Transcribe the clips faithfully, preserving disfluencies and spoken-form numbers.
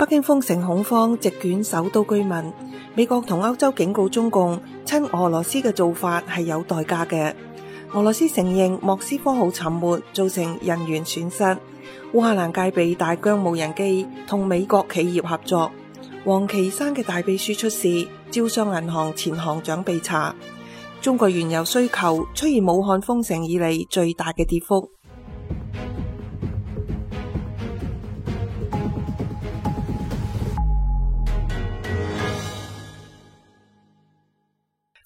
北京封城恐慌席捲首都居民，美國同歐洲警告中共，親俄羅斯嘅做法係有代價嘅。俄羅斯承認莫斯科號沉沒造成人員損失。烏克蘭戒備大疆無人機同美國企業合作。王岐山嘅大秘書出事，招商銀行前行長被查。中國原油需求出現武漢封城以嚟最大嘅跌幅。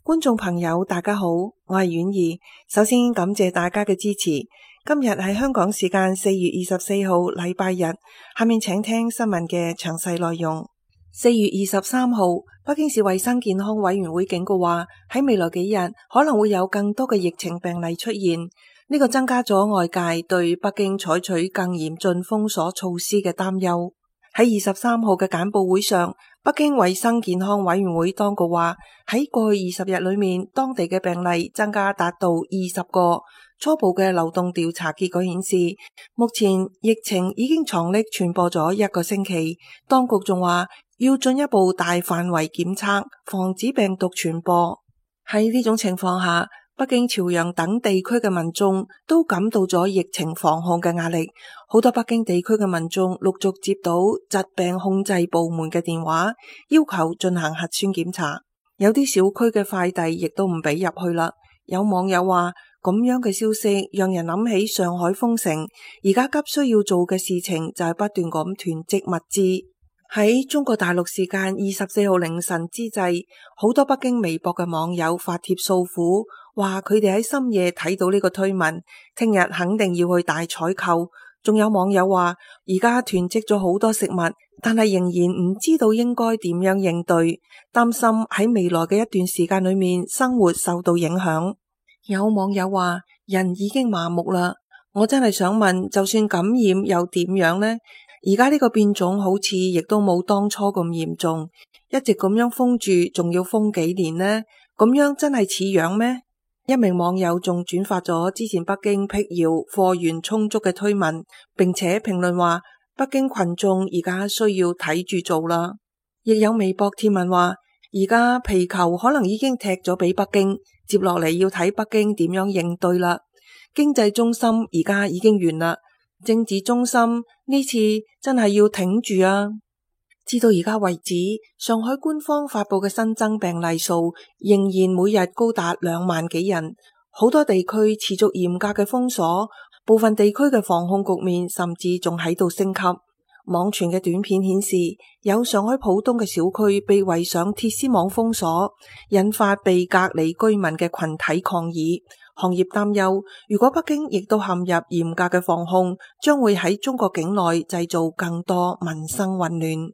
觀眾朋友大家好，我係婉兒。首先感謝大家嘅支持。今日係香港時間四月二十四號禮拜日，下面請聽新聞嘅詳細內容。四月二十三號，北京市衛生健康委員會警告話，喺未來幾日可能會有更多嘅疫情病例出現，呢個增加咗外界對北京採取更嚴峻封鎖措施嘅擔憂。喺二十三號嘅簡報會上，北京衛生健康委員會當局話，喺過去二十日裏面，當地嘅病例增加達到二十個。初步嘅流動調查結果顯示，目前疫情已經藏匿傳播咗一個星期。當局仲話要進一步大範圍檢測，防止病毒傳播。喺呢種情況下，北京、朝陽等地區嘅民眾都感到咗疫情防控嘅壓力。好多北京地區嘅民眾陸續接到疾病控制部門嘅電話，要求進行核酸檢查。有啲小區嘅快遞亦都唔俾入去啦。有網友話，咁樣嘅消息讓人諗起上海封城，而家急需要做嘅事情就係不斷咁囤積物資。喺中國大陸時間二十四號凌晨之際，好多北京微博嘅網友發帖訴苦，話佢哋喺深夜睇到呢個推文，聽日肯定要去大採購。仲有網友話，而家囤積咗好多食物，但係仍然唔知道應該點樣應對，擔心喺未來嘅一段時間裏面生活受到影響。有網友話，人已經麻木啦，我真係想問，就算感染又點樣呢？而家呢個變種好似亦都冇當初咁嚴重，一直咁樣封住，仲要封幾年呢？咁樣真係似樣咩？一名網友仲轉發咗之前北京闢謠貨源充足嘅推文，並且評論話，北京群眾而家需要睇住做啦。亦有微博貼文話，而家皮球可能已經踢咗俾北京，接落嚟要睇北京點樣應對啦。經濟中心而家已經完啦，政治中心呢次真係要挺住啊！至到而家為止，上海官方發佈嘅新增病例數仍然每日高達兩萬幾人，好多地區持續嚴格嘅封鎖，部分地區嘅防控局面甚至仲喺度升級。網傳嘅短片顯示，有上海浦東嘅小區被圍上鐵絲網封鎖，引發被隔離居民嘅群體抗議。行業擔憂，如果北京亦都陷入嚴格嘅防控，將會喺中國境內製造更多民生混亂。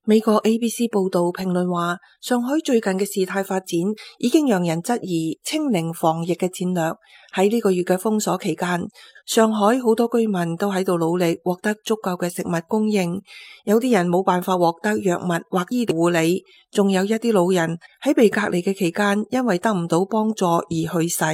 美國 A B C 報道評論話，上海最近嘅事態發展已經讓人質疑清零防疫嘅戰略。喺呢個月嘅封鎖期間，上海好多居民都喺度努力獲得足夠嘅食物供應，有啲人冇辦法獲得藥物或醫療護理，仲有一啲老人喺被隔離嘅期間，因為得唔到幫助而去世。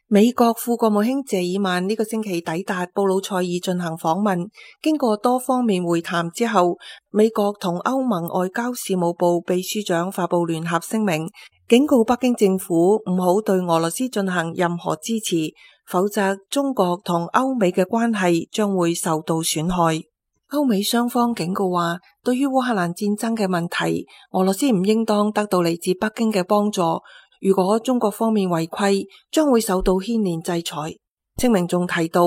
美國副國務卿謝爾曼呢個星期抵達布魯塞爾進行訪問，經過多方面會談之後，美國同歐盟外交事務部秘書長發布聯合聲明，警告北京政府唔好對俄羅斯進行任何支持，否則中國同歐美嘅關係將會受到損害。歐美雙方警告話，對於烏克蘭戰爭嘅問題，俄羅斯唔應當得到嚟自北京嘅幫助。如果中國方面違規，將會受到牽連制裁。聲明仲提到，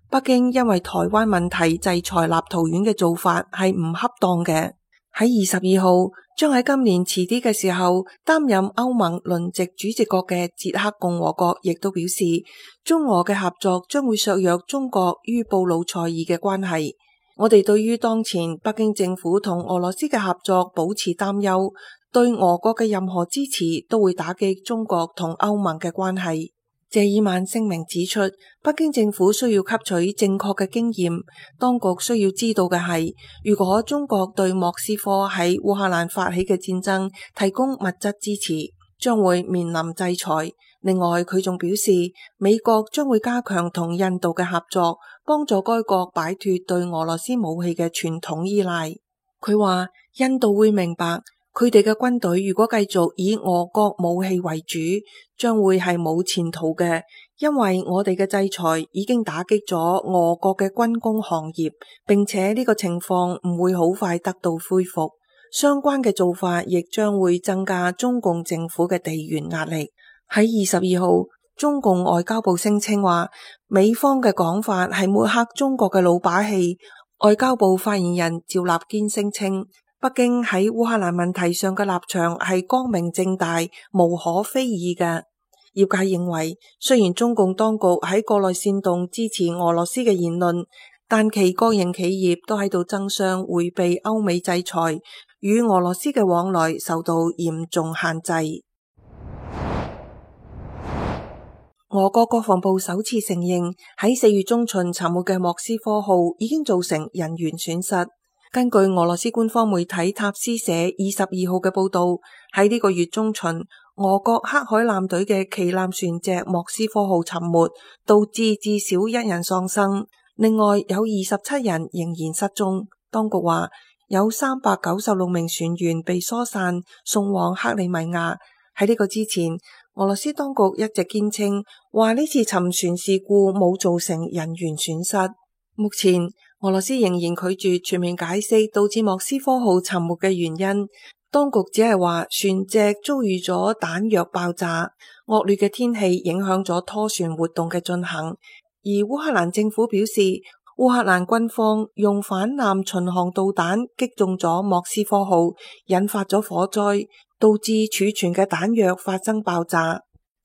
北京因為台灣問題制裁立陶宛嘅做法係唔恰當嘅。喺二十二號，將喺今年遲啲嘅時候擔任歐盟輪值主席國嘅捷克共和國亦都表示，中俄嘅合作將會削弱中國與布魯塞爾嘅關係。我哋對於當前北京政府同俄羅斯嘅合作保持擔憂，對俄國嘅任何支持都會打擊中國同歐盟嘅關係。謝爾曼聲明指出，北京政府需要吸取正確嘅經驗，當局需要知道嘅係，如果中國對莫斯科喺烏克蘭發起嘅戰爭提供物質支持，將會面臨制裁。另外，佢仲表示，美國將會加強同印度嘅合作，幫助該國擺脫對俄羅斯武器嘅傳統依賴。佢話印度會明白，佢哋嘅軍隊如果繼續以俄國武器為主，將會係冇前途嘅，因為我哋嘅制裁已經打擊咗俄國嘅軍工行業，並且呢個情況唔會好快得到恢復。相關嘅做法亦將會增加中共政府嘅地緣壓力。喺二十二號，中共外交部聲稱話，美方嘅講法係抹黑中國嘅老把戲。外交部發言人趙立堅聲稱，北京喺烏克蘭問題上嘅立場係光明正大、無可非議嘅。業界認為，雖然中共當局喺國內煽動支持俄羅斯嘅言論，但其國營企業都喺度爭相迴避歐美制裁，與俄羅斯嘅往來受到嚴重限制。俄國國防部首次承認喺四月中旬沉沒嘅莫斯科號已經造成人員損失。根據俄羅斯官方媒體塔斯社二十二號嘅報道，喺呢個月中旬，俄國黑海艦隊嘅旗艦船隻莫斯科號沉沒，導致至少一人喪生，另外有二十七人仍然失蹤。當局話，有三百九十六名船員被疏散送往克里米亞。喺呢個之前，俄羅斯當局一直堅稱話呢次沉船事故冇造成人員損失。目前俄羅斯仍然拒絕全面解釋導致莫斯科號沉沒嘅原因，當局只係話船隻遭遇咗彈藥爆炸，惡劣嘅天氣影響咗拖船活動嘅進行。而烏克蘭政府表示，烏克蘭軍方用反艦巡航導彈擊中咗莫斯科號，引發咗火災，導致儲存嘅彈藥發生爆炸。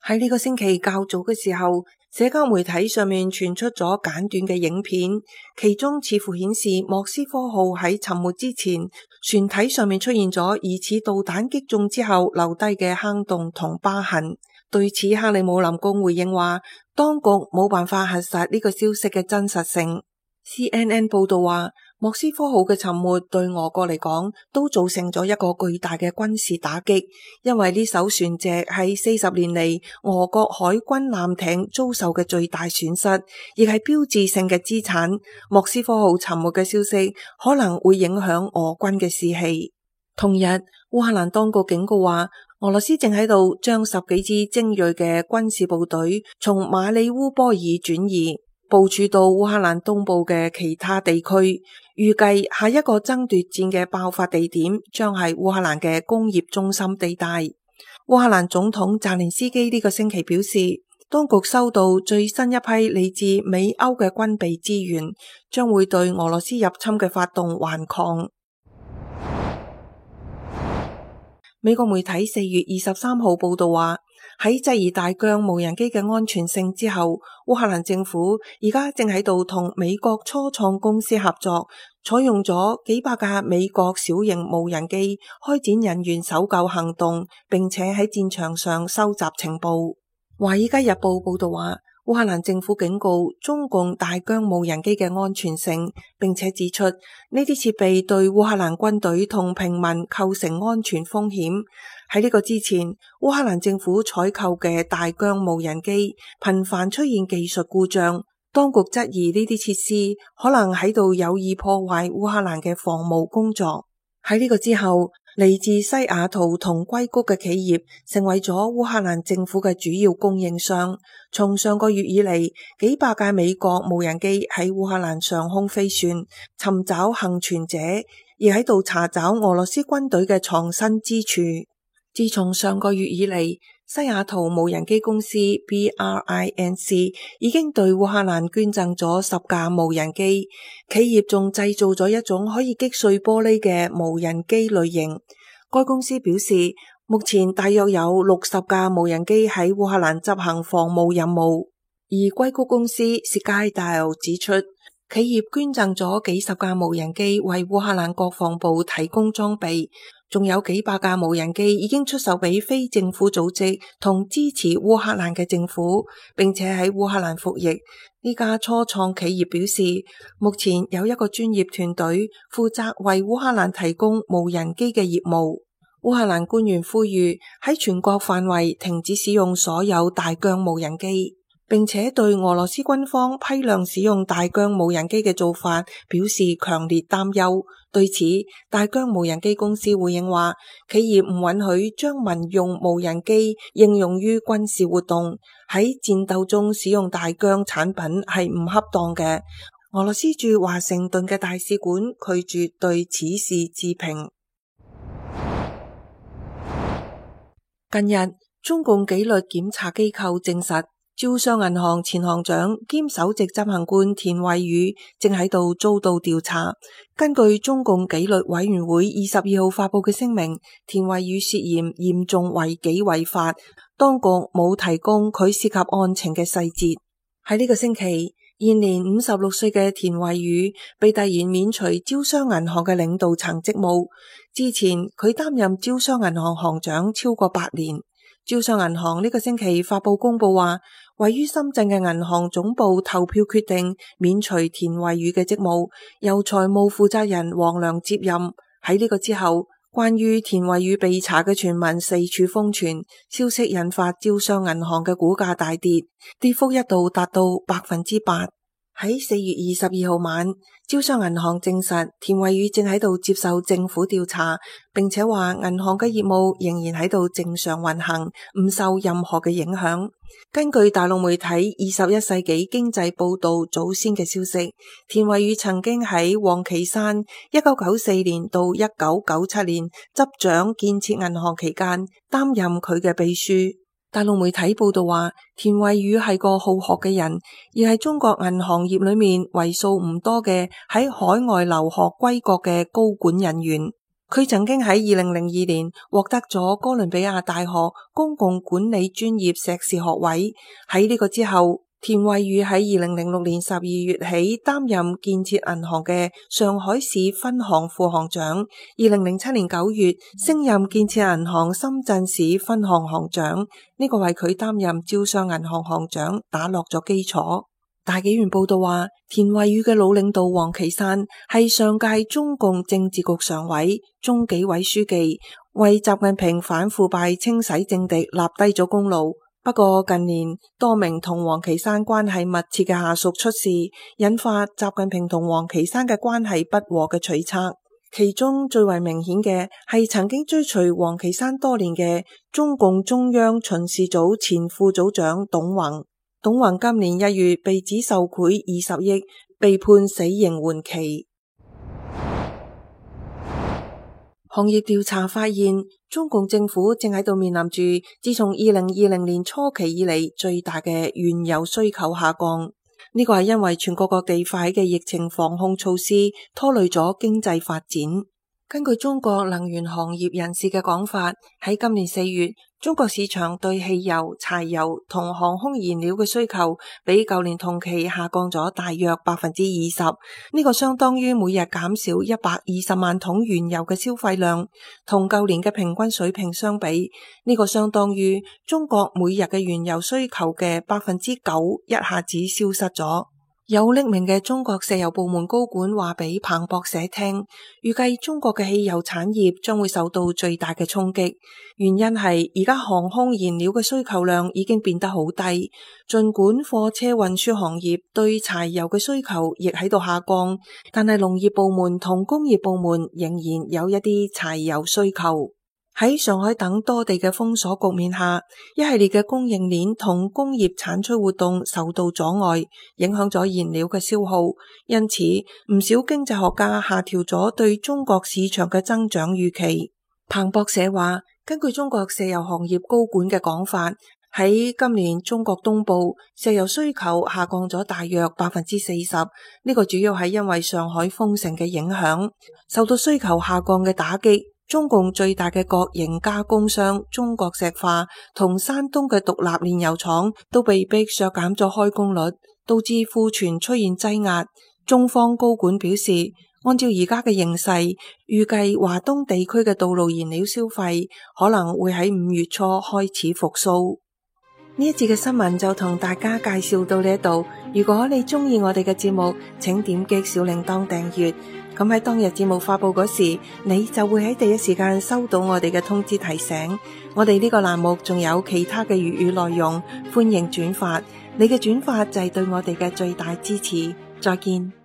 喺呢個星期較早嘅時候，社交媒體上面傳出咗簡短嘅影片，其中似乎顯示莫斯科號喺沉沒之前，船體上面出現咗疑似導彈擊中之後留低嘅坑洞同疤痕。對此，克里姆林宮回應話，當局冇辦法核實呢個消息嘅真實性。C N N 報道話，莫斯科號嘅沉沒對俄國嚟講都造成咗一個巨大嘅軍事打擊，因為呢艘船隻係四十年嚟俄國海軍艦艇遭受嘅最大損失，亦係標誌性嘅資產。莫斯科號沉沒嘅消息可能會影響俄軍嘅士氣。同日，烏克蘭當局警告話，俄羅斯正喺度將十幾支精銳嘅軍事部隊從馬里烏波爾轉移，部署到烏克蘭東部嘅其他地區，預計下一個爭奪戰嘅爆發地點將係烏克蘭嘅工業中心地帶。烏克蘭總統澤連斯基呢個星期表示，當局收到最新一批嚟自美歐嘅軍備資源，將會對俄羅斯入侵嘅發動頑抗。美國媒體四月二十三號報道話，喺質疑大疆無人機嘅安全性之後，烏克蘭政府而家正喺度同美國初創公司合作，採用咗幾百架美國小型無人機開展人員搜救行動，並且喺戰場上收集情報。華爾街日報報道話，烏克蘭政府警告中共大疆無人機嘅安全性，並且指出呢啲設備對烏克蘭軍隊同平民構成安全風險。喺呢個之前，烏克蘭政府採購嘅大疆無人機頻繁出現技術故障，當局質疑呢啲設施可能喺度有意破壞烏克蘭嘅防務工作。喺呢個之後，嚟自西雅圖同硅谷嘅企業成為咗烏克蘭政府嘅主要供應商。從上個月以嚟，幾百架美國無人機喺烏克蘭上空飛旋，尋找幸存者，而喺度查找俄羅斯軍隊嘅藏身之處。自從上個月以嚟，西雅圖無人機公司 B R I N C 已經對烏克蘭捐贈咗十架無人機，企業仲製造咗一種可以擊碎玻璃嘅無人機類型。該公司表示，目前大約有六十架無人機喺烏克蘭執行防務任務。而硅谷公司 Skydial 指出，企業捐贈咗幾十架無人機為烏克蘭國防部提供裝備，仲有幾百架無人機已經出售俾非政府組織同支持烏克蘭嘅政府，並且喺烏克蘭服役。呢家初創企業表示，目前有一個專業團隊負責為烏克蘭提供無人機嘅業務。烏克蘭官員呼籲喺全國範圍停止使用所有大疆無人機。並且對俄羅斯軍方批量使用大疆無人機嘅做法表示強烈擔憂。對此，大疆無人機公司回應話，企業唔允許將民用無人機應用於軍事活動，喺戰鬥中使用大疆產品係唔恰當嘅。俄羅斯駐華盛頓嘅大使館拒絕對此事置評。近日，中共紀律檢查機構證實，招商銀行前行長兼首席執行官田惠宇正喺度遭到調查。根據中共紀律委員會二十二號發佈嘅聲明，田惠宇涉嫌嚴重違紀違法，當局冇提供佢涉及案情嘅細節。喺呢個星期，現年五十六歲嘅田惠宇被突然免除招商銀行嘅領導層職務。之前佢擔任招商銀行行長超過八年。招商銀行呢個星期發佈公佈話，位於深圳嘅銀行總部投票決定免除田惠宇嘅職務，由財務負責人黃良接任。喺呢個之後，關於田惠宇被查嘅傳聞四處瘋傳，消息引發招商銀行嘅股價大跌，跌幅一度達到百分之八。喺四月二十二號晚，招商銀行證實田惠宇正喺度接受政府調查，並且話銀行嘅業務仍然喺度正常運行，唔受任何嘅影響。根據大陸媒體二十一世紀經濟報道早先嘅消息，田惠宇曾經喺王岐山一九九四年到一九九七年執掌建設銀行期間擔任佢嘅秘書。大陸媒體報道話，田惠宇係個好學嘅人，而係中國銀行業裏面為數唔多嘅喺海外留學歸國嘅高管人員。佢曾經喺二零零二年獲得咗哥倫比亞大學公共管理專業碩士學位。喺呢個之後，田惠宇喺二零零六年十二月起擔任建設銀行嘅上海市分行副行長，二零零七年九月升任建設銀行深圳市分行行長，呢、這個為佢擔任招商銀行行長打落咗基礎。大紀元報道話，田惠宇嘅老領導王岐山係上屆中共政治局常委、中紀委書記，為習近平反腐敗清洗政敵立低咗功勞。不過近年多名同王岐山關係密切嘅下屬出事，引發習近平同王岐山嘅關係不和嘅揣測。其中最為明顯嘅係曾經追隨王岐山多年嘅中共中央巡視組前副組長董宏。董宏今年一月被指受賄二十億，被判死刑緩期。行業調查發現，中共政府正喺度面臨住自從二零二零年初期以嚟最大嘅原油需求下降。呢個係因為全國各地發起嘅疫情防控措施拖累咗經濟發展。根據中國能源行業人士嘅講法，喺今年四月，中國市場對汽油、柴油同航空燃料嘅需求比舊年同期下降咗大約百分之二十，呢個相當於每日減少一百二十萬桶原油嘅消費量，同舊年嘅平均水平相比，呢個相當於中國每日嘅原油需求嘅百分之九一下子消失咗。有匿名嘅中國石油部門高管話俾彭博社聽，預計中國嘅汽油產業將會受到最大嘅衝擊，原因係而家航空燃料嘅需求量已經變得好低，盡管貨車運輸行業對柴油嘅需求亦喺度下降，但係農業部門同工業部門仍然有一啲柴油需求。喺上海等多地嘅封鎖局面下，一系列嘅供應鏈同工業產出活動受到阻礙，影響咗燃料嘅消耗。因此，唔少經濟學家下調咗對中國市場嘅增長預期。彭博社話，根據中國石油行業高管嘅講法，喺今年中國東部石油需求下降咗大約百分之四十，呢個主要係因為上海封城嘅影響，受到需求下降嘅打擊。中共最大嘅國營加工商中國石化同山東嘅獨立煉油廠都被迫削減咗開工率，導致庫存出現擠壓。中方高管表示，按照而家嘅形勢，預計華東地區嘅道路燃料消費可能會喺五月初開始復甦。呢一節嘅新聞就同大家介紹到呢一度。如果你中意我哋嘅節目，請點擊小鈴鐺訂閱。咁喺當日節目發佈嗰時，你就會喺第一時間收到我哋嘅通知提醒。我哋呢個欄目仲有其他嘅粵語內容，歡迎轉發。你嘅轉發就係對我哋嘅最大支持。再見。